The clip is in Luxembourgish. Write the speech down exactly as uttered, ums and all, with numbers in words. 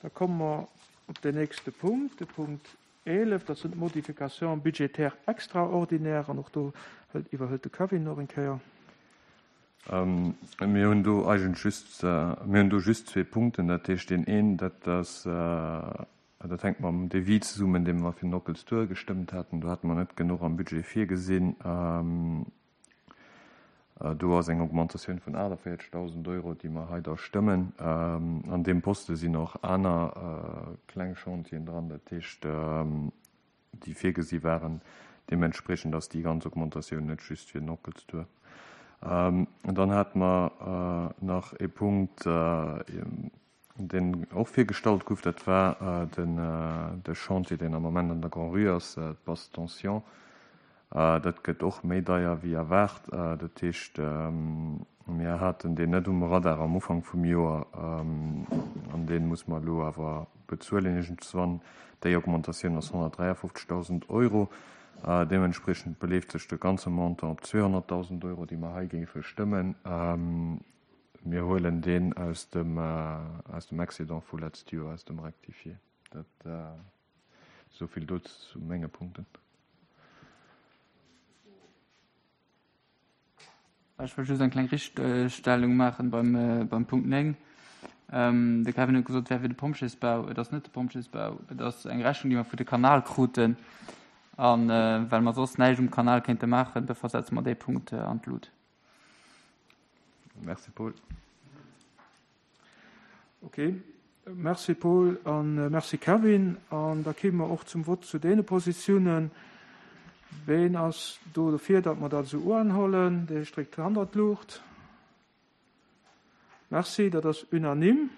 Da komme mer op den nächste Punkt, de Punkt eelef, dat sinn d'Modifications budgétaires extraordinaires. An och do iwwerhëlt de Kevin nach eng Kéier. Mir hunn do eigentlech just, mir hunn do just zwee Punkten. Dat heescht, deen een, dat ass, dat hänkt mam Devis zesummen, dee mer fir den Ockels Tour gestëmmt haten. Do hate mer net genuch am Budget virgesinn. Do ass eng Augmentatioun vun aachtavéierzegdausend Euro, déi mer hei da stëmmen. An deem Poste sinn och aner kleng Chantieren dran, dat heescht, déi virgesi waren. Deementspriechend ass déi ganz Augmentatioun net just fir den Ockels Tour. Dann hate mer nach e Punkt, deen och virgestallt gouf, dat war den de Chantier, deen am Moment an der Grand-Rue ass, d'Basse Tension. Dat gëtt och méi deier wéi erwaart. Dat heescht, mir haten deen net um Radar am Ufank vum Joer an dee muss mer elo awer bezuelen iergendswann. Déi Augmentatioun ass honnertdräiafofzegdausend Euro. Deementspriechend beleeft sech de ganze Montant op zweehonnertdausend Euro, déi mer hei géife stëmmen. Mir huelen deen aus dem aus dem Excédent vu letzt Joer, aus dem Rectifié. Dat esou vill do zu menge Punkten. Ech wëll just eng kleng Richtstellung maachen beim beim Punkt néng. De Kevin huet gesot, et wär fir de Pompjeesbau. Et ass net de Pompjeesbau, et ass eng Rechnung, déi mer vu de Kanal kruten. A well mer soss näischt um Kanal kéinte maachen, dofir setze mer dee Punkt an d'Lut. Merci Paul. Ok, merci Paul a merci Kevin. An da kéime mer och zum Vott zu deene Positiounen. Ween ass do dofir, datt mer dat esou uanhollen? Dee stréckt d'Hand an d'Luucht. Merci, dat ass unanime.